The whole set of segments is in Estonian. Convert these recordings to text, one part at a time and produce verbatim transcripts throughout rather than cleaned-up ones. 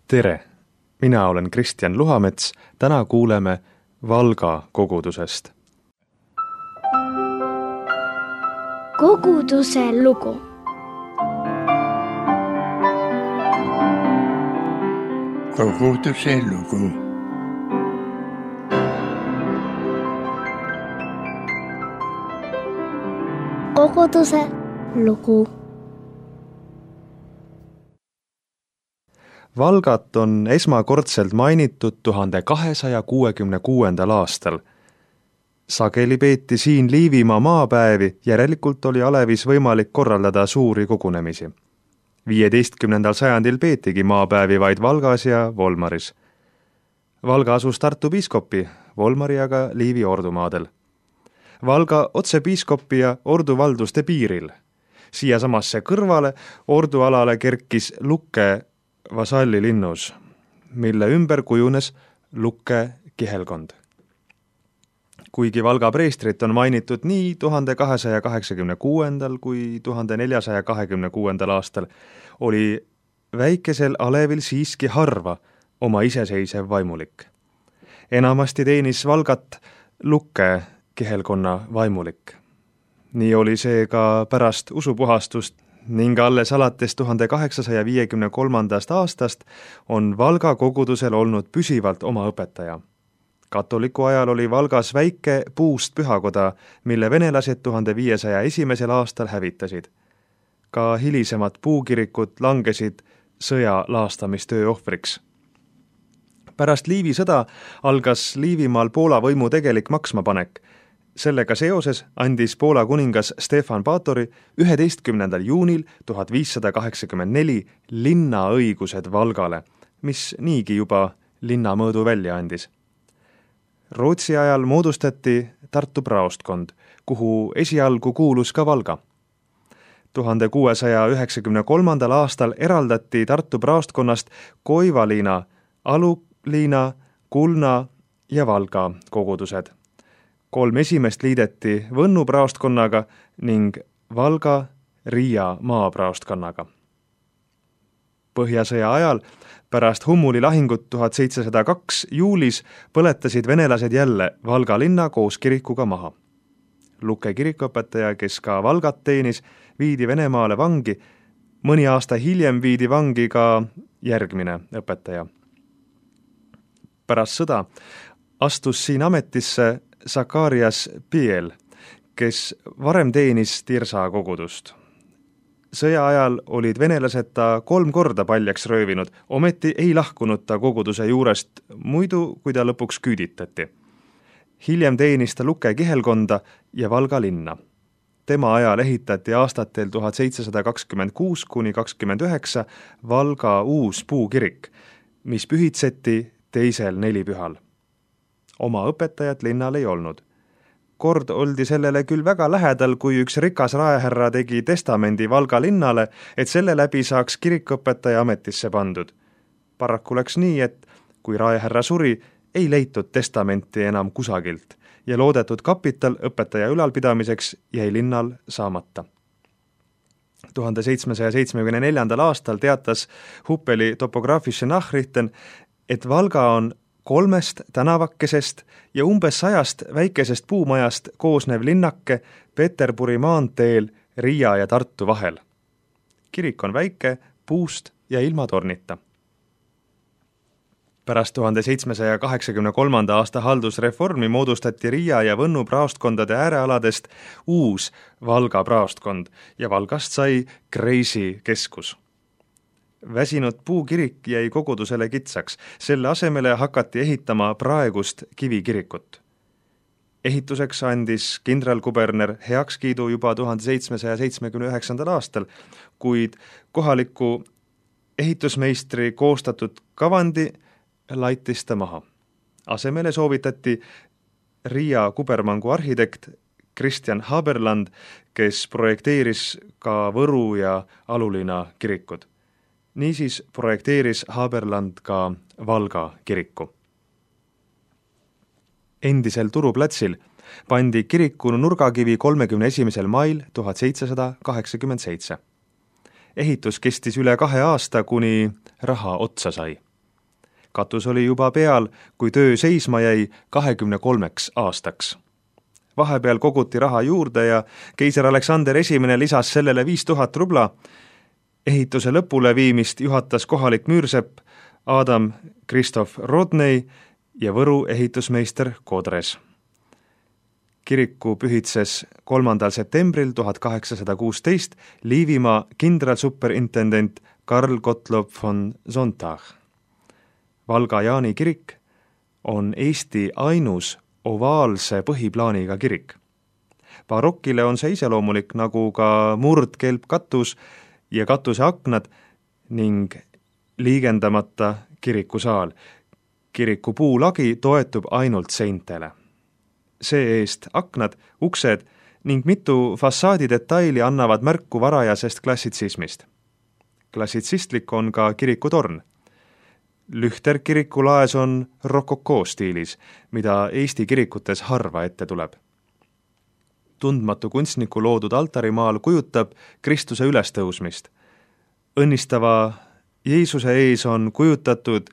Tere! Mina olen Kristjan Luhamets. Täna kuuleme Valga kogudusest. Koguduse lugu. Koguduse lugu. Koguduse lugu. Valgat on esmakordselt mainitud tuhande kahesaja kuuekümne kuuendal aastal. Sageli peeti siin Liivimaa maapäevi, järelikult oli alevis võimalik korraldada suuri kogunemisi. viieteistkümnendal sajandil peetigi maapäevi vaid Valgas ja Volmaris. Valga asus Tartu piiskopi, Volmari aga Liivi ordumaadel. Valga otsepiiskopi ja orduvalduste piiril. Siia samasse kõrvale ordualale kerkis Lukke vasalli linnus, mille ümber kujunes Lukke kihelkond. Kuigi Valga preestrit on mainitud nii tuhande kahesaja kaheksakümne kuuendal kui tuhande neljasaja kahekümne kuuendal aastal, oli väikesel alevil siiski harva oma iseseisev vaimulik. Enamasti teenis Valgat Lukke kihelkonna vaimulik. Nii oli see ka pärast usupuhastust ning alles alates tuhande kaheksasaja viiekümne kolmandast aastast on Valga kogudusel olnud püsivalt oma õpetaja. Katoliku ajal oli Valgas väike puust pühakoda, mille venelased tuhande viiesaja esimesel aastal hävitasid. Ka hilisemad puukirikud langesid sõja laastamistöö ohvriks. Pärast Liivi sõda algas Liivimaal Poola võimu tegelik maksmapanek. Sellega seoses andis Poola kuningas Stefan Batory üheteistkümnendal juunil tuhat viissada kaheksakümmend neli linnaõigused Valgale, mis niigi juba linnamõõdu välja andis. Rootsi ajal moodustati Tartu praostkond, kuhu esialgu kuulus ka Valga. tuhande kuuesaja üheksakümne kolmandal aastal eraldati Tartu praostkonnast Koivaliina, Aluliina, Kulna ja Valga kogudused. Kolm esimest liideti Võnnu praostkonnaga ning Valga Riia maapraostkonnaga. Põhjasõja ajal pärast Hummuli lahingut tuhat seitsesada kaks juulis põletasid venelased jälle Valga linna koos kirikuga maha. Lukke kirikuõpetaja, kes ka Valgat teenis, viidi Venemaale vangi. Mõni aasta hiljem viidi vangi ka järgmine õpetaja. Pärast sõda astus siin ametisse Sakarias Piel, kes varem teenis Tirsa kogudust. Sõja ajal olid venelased ta kolm korda paljaks röövinud, ometi ei lahkunud ta koguduse juurest, muidu kui ta lõpuks küüditati. Hiljem teenis ta Lukke kihelkonda ja Valga linna. Tema ajal ehitati aastatel tuhat seitsesada kakskümmend kuus kuni kakskümmend üheksa Valga uus puukirik, mis pühitseti teisel nelipühal. Oma õpetajat linnal ei olnud. Kord oldi sellele küll väga lähedal, kui üks rikas raehärra tegi testamendi Valga linnale, et selle läbi saaks kirikuõpetaja ametisse pandud. Paraku läks nii, et kui raehärra suri, ei leitud testamenti enam kusagilt ja loodetud kapital õpetaja ülalpidamiseks jäi linnal saamata. tuhande seitsmesaja seitsmekümne neljandal aastal teatas Huppeli topograafische Nachrichten, et Valga on kolmest tänavakesest ja umbes sajast väikesest puumajast koosnev linnake Peterburi maanteel Riia ja Tartu vahel. Kirik on väike, puust ja ilma tornita. Pärast tuhande seitsmesaja kaheksakümne kolmanda aasta haldusreformi moodustati Riia ja Võnnu praostkondade äärealadest uus Valga praostkond ja Valgast sai Kreisi keskus. Väsinud puukirik jäi kogudusele kitsaks, selle asemele hakati ehitama praegust kivikirikut. Ehituseks andis kindralkuberner heakskiidu juba tuhande seitsmesaja seitsmekümne üheksandal aastal, kuid kohaliku ehitusmeistri koostatud kavandi laitis ta maha. Asemele soovitati Riia kubermangu arhitekt Kristjan Haberland, kes projekteeris ka Võru ja Aluliina kirikud. Niisiis projekteeris Haberland ka Valga kiriku. Endisel turuplatsil pandi kiriku nurgakivi kolmekümne esimesel mail tuhat seitsesada kaheksakümmend seitse. Ehitus kestis üle kahe aasta, kuni raha otsa sai. katus oli juba peal, kui töö seisma jäi kahekümne kolmeks aastaks. Vahepeal koguti raha juurde ja keiser Aleksander esimene lisas sellele viis tuhat rubla. Ehituse lõpule viimist juhatas kohalik müürsepp Adam Kristof Rodney ja Võru ehitusmeister Kodres. Kiriku pühitses kolmandal septembril tuhat kaheksasada kuusteist Liivimaa kindralsuperintendent Karl Gottlob von Sonntag. Valga Jaani kirik on Eesti ainus ovaalse põhiplaaniga kirik. Barokile on see iseloomulik nagu ka murdkelpkatus ja katuse aknad ning liigendamata kirikusaal. Kiriku puulagi toetub ainult seintele. See-eest aknad, uksed ning mitu fassaadi detaili annavad märku varajasest klassitsismist. Klassitsistlik on ka kirikutorn. Lühter kirikulaes on rokokoo stiilis, mida Eesti kirikutes harva ette tuleb. Tundmatu kunstniku loodud altarimaal kujutab Kristuse ülestõusmist. Õnnistava Jeesuse ees on kujutatud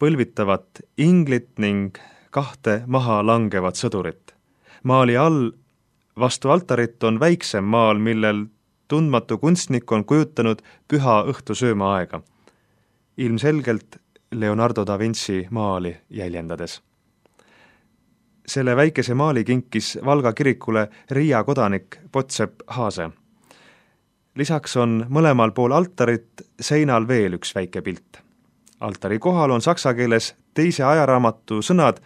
põlvitavat inglit ning kahte maha langevat sõdurit. Maali all vastu altarit on väiksem maal, millel tundmatu kunstnik on kujutanud püha õhtusööma aega. Ilmselgelt Leonardo da Vinci maali jäljendades. Selle väikese maali kinkis Valga kirikule Riia kodanik Potsepp Haase. Lisaks on mõlemal pool altarit seinal veel üks väike pilt. Altari kohal on saksa keeles teise ajaraamatu sõnad: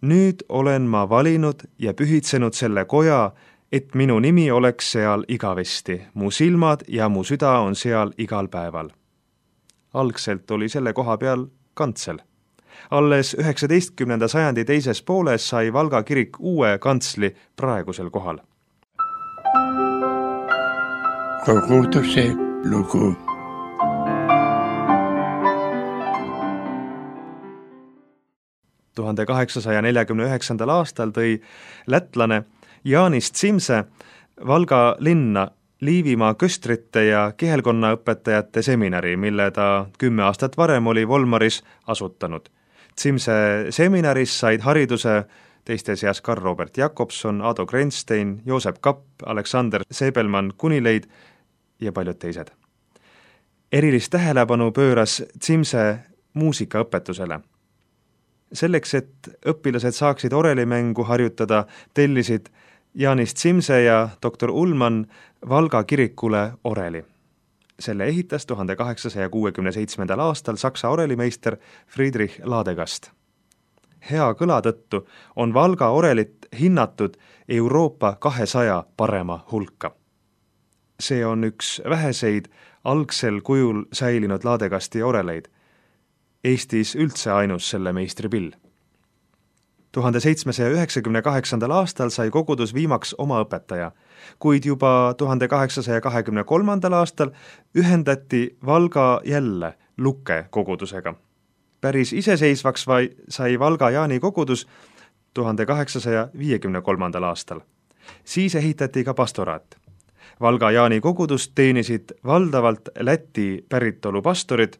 nüüd olen ma valinud ja pühitsenud selle koja, et minu nimi oleks seal igavesti, mu silmad ja mu süda on seal igal päeval. Algselt oli selle koha peal kantsel. Alles üheksateistkümnenda sajandi teises pooles sai Valga kirik uue kantsli praegusel kohal. Koguduse lugu. tuhande kaheksasaja neljakümne üheksandal aastal tõi lätlane Jaanis Zimse Valga linna Liivimaa köstrite ja kihelkonnaõpetajate seminari, mille ta kümme aastat varem oli Volmaris asutanud. Zimse seminaris said hariduse teiste seas Karl Robert Jakobson, Ado Grenstein, Joosep Kapp, Aleksander Sebelman Kunileid ja paljud teised. Erilist tähelepanu pööras Zimse muusikaõpetusele. Selleks, et õpilased saaksid orelimängu harjutada, tellisid Jaanis Zimse ja doktor Ullmann Valga kirikule oreli. Selle ehitas tuhande kaheksasaja kuuekümne seitsmendal aastal saksa orelimeister Friedrich Ladegast. Hea kõla tõttu on Valga orelit hinnatud Euroopa kahesaja parema hulka. See on üks väheseid algsel kujul säilinud Ladegasti oreleid. Eestis üldse ainus selle meistripill. tuhande seitsmesaja üheksakümne kaheksandal aastal sai kogudus viimaks oma õpetaja, kuid juba tuhande kaheksasaja kahekümne kolmandal aastal ühendati Valga jälle Lukke kogudusega. Päris iseseisvaks vai sai Valga Jaani kogudus tuhande kaheksasaja viiekümne kolmandal aastal. Siis ehitati ka pastoraat. Valga Jaani kogudust teenisid valdavalt Läti päritolu pastorid,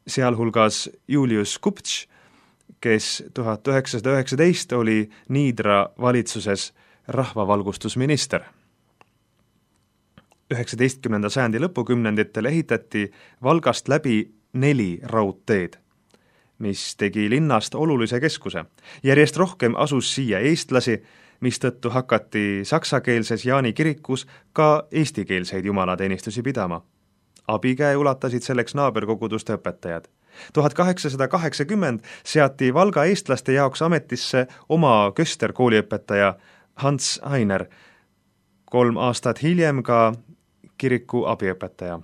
sealhulgas Julius Kupč, kes tuhat üheksasada üheksateist oli Niidra valitsuses rahvavalgustusminister. üheksateistkümnenda sajandi lõpukümnenditel ehitati Valgast läbi neli raudteed, mis tegi linnast olulise keskuse. Järjest rohkem asus siia eestlasi, mistõttu hakati saksakeelses Jaani kirikus ka eestikeelseid jumalateenistusi pidama. Abikäe ulatasid selleks naaberkoguduste õpetajad. tuhat kaheksasada kaheksakümmend seati Valga eestlaste jaoks ametisse oma kösterkooliõpetaja Hans Heiner, kolm aastat hiljem ka kiriku abiõpetaja.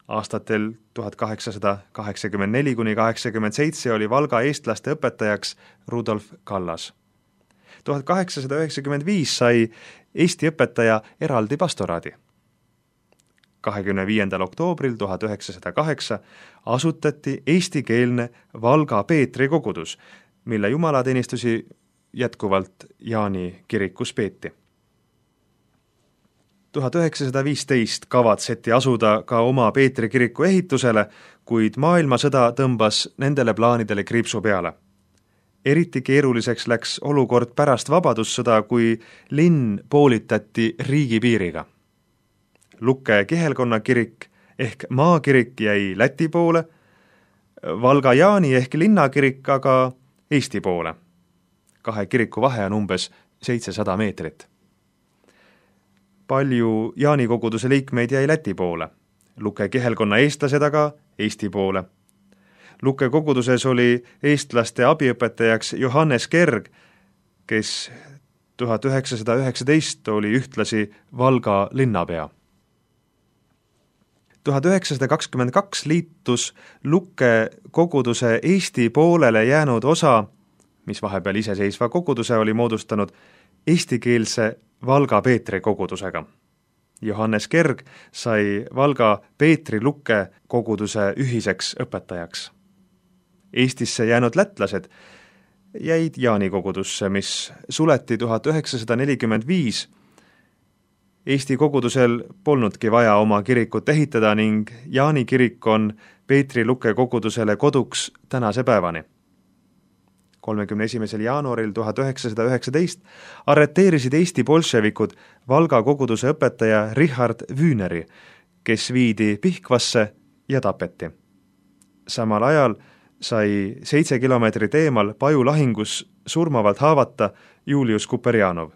Aastatel tuhat kaheksasada kaheksakümmend neli kuni kaheksakümmend seitse oli Valga eestlaste õpetajaks Rudolf Kallas. tuhat kaheksasada üheksakümmend viis sai Eesti õpetaja eraldi pastoraadi. kahekümne viiendal oktoobril tuhat üheksasada kaheksa asutati eestikeelne Valga Peetri kogudus, mille jumalateenistusi jätkuvalt Jaani kirikus peeti. tuhat üheksasada viisteist kavatseti asuda ka oma Peetri kiriku ehitusele, kuid maailmasõda tõmbas nendele plaanidele kriipsu peale. Eriti keeruliseks läks olukord pärast vabadussõda, kui linn poolitati riigipiiriga. Lukke kihelkonna kirik ehk maakirik jäi Läti poole, Valga Jaani ehk linnakirik aga Eesti poole. Kahe kiriku vahe on umbes seitsesada meetrit. Palju Jaani koguduse liikmeid jäi Läti poole, Lukke kihelkonna eestlased aga Eesti poole. Lukke koguduses oli eestlaste abiõpetajaks Johannes Kerg, kes tuhat üheksasada üheksateist oli ühtlasi Valga linnapea. tuhat üheksasada kakskümmend kaks liitus Lukke koguduse Eesti poolele jäänud osa, mis vahepeal iseseisva koguduse oli moodustanud, eestikeelse Valga Peetri kogudusega. Johannes Kerg sai Valga Peetri Lukke koguduse ühiseks õpetajaks. Eestisse jäänud lätlased jäid Jaani kogudusse, mis suleti tuhat üheksasada nelikümmend viis. Eesti kogudusel polnudki vaja oma kirikut ehitada ning Jaani kirik on Peetri Lukke kogudusele koduks tänase päevani. kolmekümne esimesel jaanuaril tuhat üheksasada üheksateist arreteerisid Eesti bolševikud Valga koguduse õpetaja Richard Wühneri, kes viidi Pihkvasse ja tapeti. Samal ajal sai seitse kilomeetrit eemal Paju lahingus surmavalt haavata Julius Kuperjanov.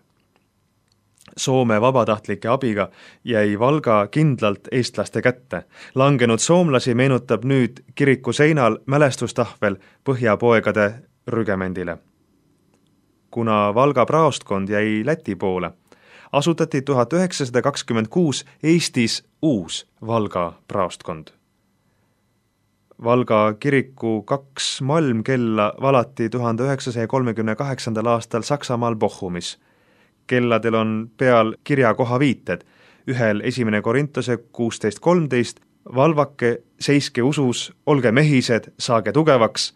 Soome vabatahtlike abiga jäi Valga kindlalt eestlaste kätte. Langenud soomlasi meenutab nüüd kiriku seinal mälestustahvel Põhjapoegade rügemendile. Kuna Valga praostkond jäi Läti poole, asutati tuhat üheksasada kakskümmend kuus Eestis uus Valga praostkond. Valga kiriku kaks malmkella valati tuhande üheksasaja kolmekümne kaheksandal aastal Saksamaal Bochumis. Kelladel on peal kirjakoha viited, ühel esimene Korintuse kuusteist kolmteist, valvake, seiske usus, olge mehised, saage tugevaks,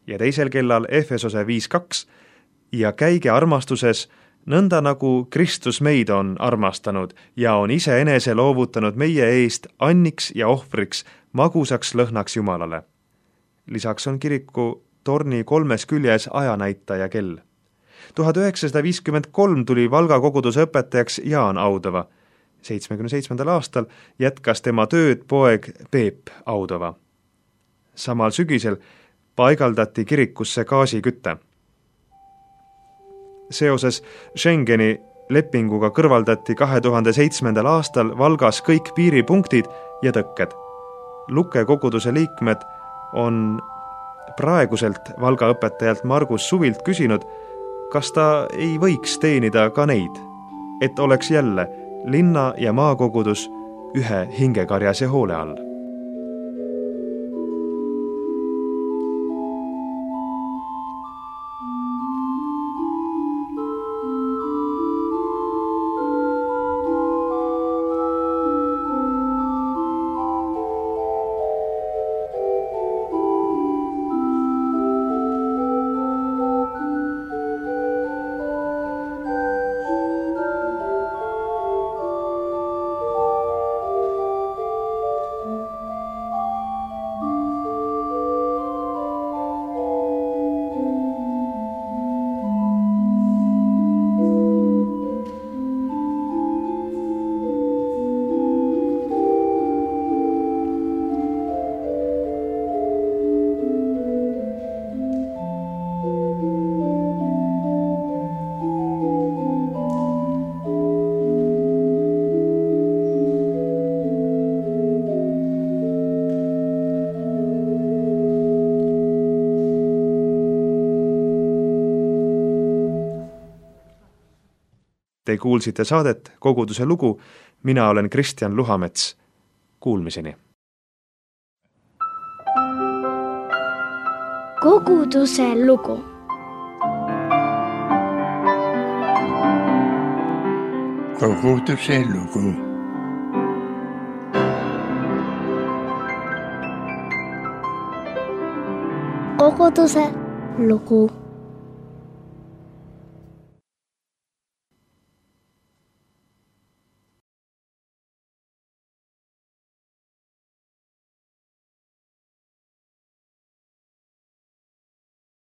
ja teisel kellal Efesose viis kaks, ja käige armastuses, nõnda nagu Kristus meid on armastanud ja on ise enese loovutanud meie eest anniks ja ohvriks, magusaks lõhnaks Jumalale. Lisaks on kiriku torni kolmes küljes ajanäitaja kell. tuhat üheksasada viiskümmend kolm tuli Valga koguduse õpetajaks Jaan Audova. seitsmekümne seitsmendal aastal jätkas tema tööd poeg Peep Audova. Samal sügisel paigaldati kirikusse gaasikütte. Seoses Schengeni lepinguga kõrvaldati kahe tuhande seitsmendal aastal Valgas kõik piiripunktid ja tõkked. Lukke koguduse liikmed on praeguselt Valga õpetajalt Margus Suvilt küsinud, kas ta ei võiks teenida ka neid, et oleks jälle linna- ja maakogudus ühe hingekarjase hoole all. Te kuulsite saadet Koguduse lugu, mina olen Kristjan Luhamets. Kuulmiseni. Koguduse lugu. Koguduse lugu. Koguduse lugu.